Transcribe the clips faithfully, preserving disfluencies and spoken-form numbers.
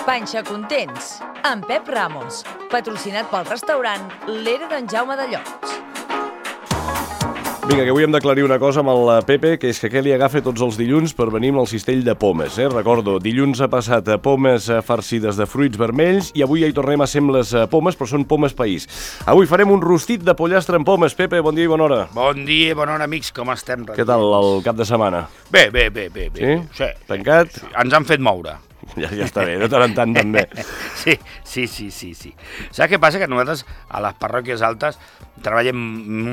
Panxa Contents, amb Pep Ramos, patrocinat pel restaurant l'Era d'en Jaume de Llots. Vinga, que avui hem d'aclarir una cosa amb el Pepe, que és que Kelly agafa tots els dilluns per venir amb el cistell de pomes, eh? Recordo, dilluns ha passat a pomes farcides de fruits vermells i avui ja hi tornem a ser amb les pomes, però són pomes país. Avui farem un rostit de pollastre amb pomes. Pepe, bon dia i bona hora. Bon dia i bona hora, amics, com estem? Què tal el cap de setmana? Bé, bé, bé, bé. bé. Sí? Sí? Tancat? Sí. Ens han fet moure. Ja, ja està bé, de tant en tant també. Sí, sí, sí, sí, sí. Saps què passa? Que nosaltres a les parròquies altes treballem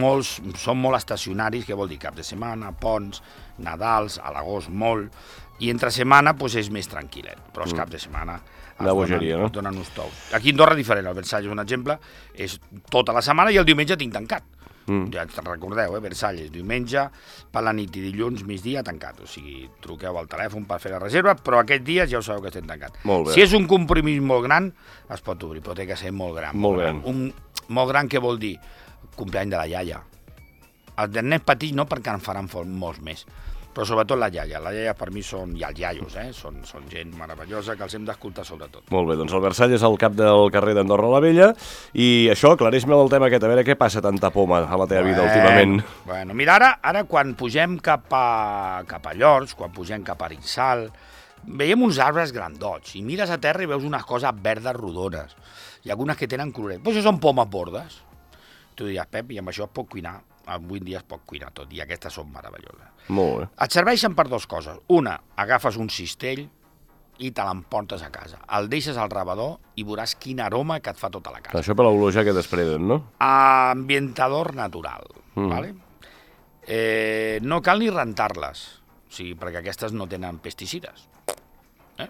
molts, som molt estacionaris, que vol dir cap de setmana, ponts, Nadals, a l'agost molt, i entre setmana doncs, és més tranquil·let, però els mm. cap de setmana la bogeria, no? donen uns tous. Aquí a Andorra és diferent, el Versalles, un exemple, és tota la setmana i el diumenge tinc tancat. Mm. Ja te'n recordeu, eh? Versalles, diumenge, per la nit i dilluns, migdia, tancat. O sigui, truqueu al telèfon per fer la reserva, però aquests dies ja ho sabeu que estem tancat. Si és un compromís molt gran, es pot obrir, però té que ser molt gran. Molt gran. Un, molt gran, què vol dir? Compleany de la iaia. Els de nens petits no, perquè en faran molts més. Però sobretot la iaia. La iaia per mi són, i els iaios, eh? són, són gent meravellosa que els hem d'escoltar sobretot. Molt bé, doncs el Versalles és al cap del carrer d'Andorra la Vella i això, aclareix-me el tema aquest, a veure què passa tanta poma a la teva bueno, vida últimament. Bueno, mira, ara, ara quan pugem cap a, cap a Llors, quan pugem cap a Arinsal, veiem uns arbres grandots i mires a terra i veus unes coses verdes rodones i algunes que tenen coloret. Però això són pomes bordes. Tu diries, Pep, i amb això es pot cuinar. Avui en dia es pot cuinar tot, i aquestes són meravelloses. Molt bé. Et serveixen per dues coses. Una, agafes un cistell i te l'emportes a casa. El deixes al rebedor i veuràs quin aroma que et fa tota la casa. Això per l'olor ja que desprenen, no? Ambientador natural, mm. vale? Eh, no cal ni rentar-les, o sigui, perquè aquestes no tenen pesticides. Eh?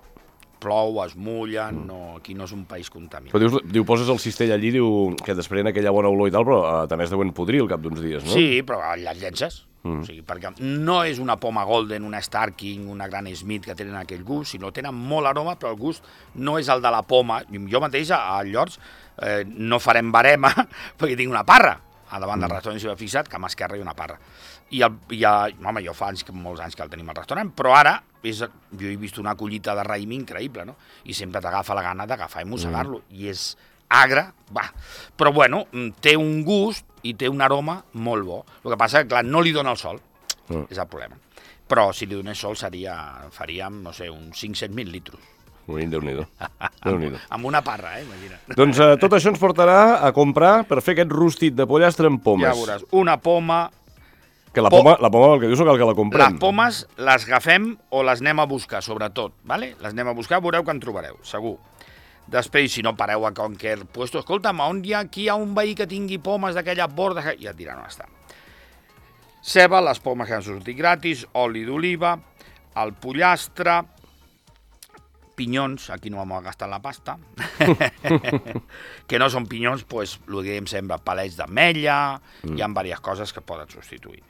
Plou, es mullen, no, aquí no és un país contaminat. Però dius, diu, poses el cistell allí, diu que desprèn aquella bona olor i tal, però uh, també es deuen podrir al cap d'uns dies, no? Sí, però les llences. Mm. O sigui, perquè no és una poma golden, una Starking, una gran Smith que tenen aquell gust, sinó tenen molt aroma, però el gust no és el de la poma. Jo mateix a Llors eh, no farem barema perquè tinc una parra. A davant mm. del restaurant s'hi va fixat que a mà esquerra hi ha una parra. I, el, i el, home, jo fa anys, molts anys que el tenim al restaurant, però ara és, jo he vist una collita de raïm increïble, no? I sempre t'agafa la gana d'agafar i mossegar-lo. Mm. I és agre, va. Però bueno, té un gust i té un aroma molt bo. El que passa que, clar, no li dona el sol, mm. és el problema. Però si li donés sol seria, faríem, no sé, uns cinc-set mil litros. Ui, Déu-n'hi-do. Déu-n'hi-do. Amb una parra, eh, imagina't. Doncs eh, tot això ens portarà a comprar per fer aquest rostit de pollastre amb pomes. Ja veuràs, una poma... Que la poma, la poma, el que dius, no cal que la comprem. Les pomes les agafem o les anem a buscar, sobretot, ¿vale? Les anem a buscar, veureu que en trobareu, segur. Després, si no pareu a qualsevol puesto, escolta'm, on hi ha, aquí hi ha un veí que tingui pomes d'aquelles bordes, i et diran on està. Ceba, les pomes que han sortit gratis, oli d'oliva, el pollastre, pinyons, aquí no vam gastar la pasta, que no són pinyons, doncs, el que diem sempre, palets d'ametlla, mm. hi ha diverses coses que poden substituir.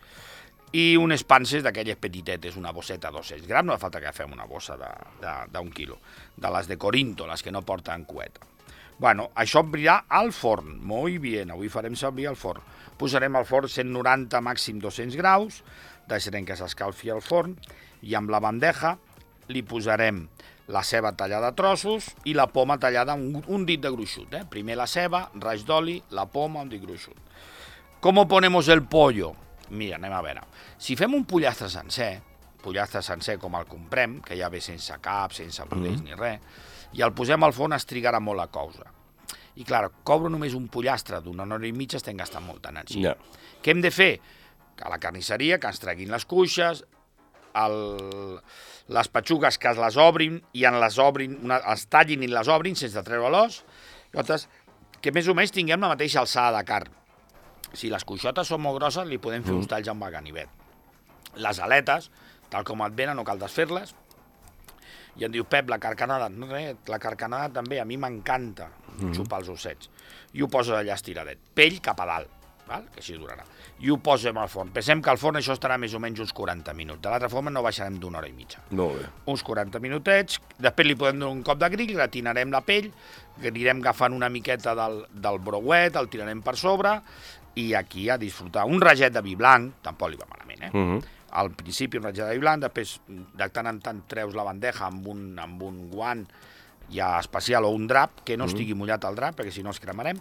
I unes panses d'aquelles petitetes, una bosseta de dos-cents grams, no fa falta que fem una bossa d'un quilo, de les de Corinto, les que no porten cueta. Bueno, això obrirà al forn, molt bé, avui farem servir al forn. Posarem al forn cent noranta, màxim dos-cents graus, deixarem que s'escalfi al forn, i amb la bandeja li posarem la ceba tallada a trossos i la poma tallada un, un dit de gruixut. Eh? Primer la ceba, raig d'oli, la poma, un dit gruixut. Com ponemos el pollo? Mira, anem a veure. Si fem un pollastre sencer, pollastre sencer com el comprem, que ja ve sense cap, sense budells mm. ni res, i el posem al forn es trigarà molt a coure. I clar, coure només un pollastre d'una hora i mitja estem gastant molta energia. Yeah. Què hem de fer? Que a la carnisseria, que ens treguin les cuixes, el... les petxugues que les obrin i en les obrin, una, els tallin i les obrin sense treure l'os, que més o menys tinguem la mateixa alçada de carn. Si les cuixotes són molt grosses, li podem fer mm. uns talls amb el ganivet. Les aletes, tal com et venen, no cal desfer-les. I em diu, Pep, la carcanada, no res, la carcanada també, a mi m'encanta mm. xupar els ossets. I ho poso allà estiradet, pell cap a dalt, val? Que així durarà. I ho posem al forn. Pensem que al forn això estarà més o menys uns quaranta minuts. De l'altra forma no baixarem d'una hora i mitja. Molt bé. Uns quaranta minutets, després li podem donar un cop de grill, gratinarem la pell, anirem agafant una miqueta del, del brouet, el tirarem per sobre, i aquí a disfrutar. Un raget de vi blanc, tampoc li va malament, eh? Uh-huh. Al principi un raget de vi blanc, després de tant en tant treus la bandeja amb un, amb un guant hi ha especial o un drap, que no estigui mullat el drap, perquè si no es cremarem,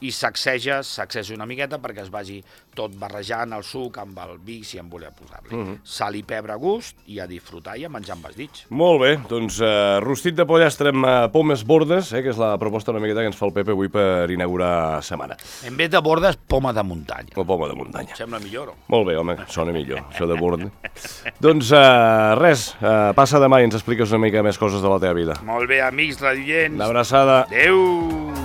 i sacseges, sacseges una miqueta perquè es vagi tot barrejant el suc amb el vi, si en voler posar-li. Mhm. Sal i pebre a gust i a disfrutar i a menjar amb els dits. Molt bé, doncs uh, rostit de pollastre amb uh, pomes bordes, eh, que és la proposta una miqueta que ens fa el Pepe avui per inaugurar setmana. En vez de bordes, poma de muntanya. O poma de muntanya. Sembla millor, o? Molt bé, home, sona millor, això de bord. Doncs uh, res, uh, passa demà i ens expliques una mica més coses de la teva vida. Molt bé, amics radiants. Una abraçada. Adéu!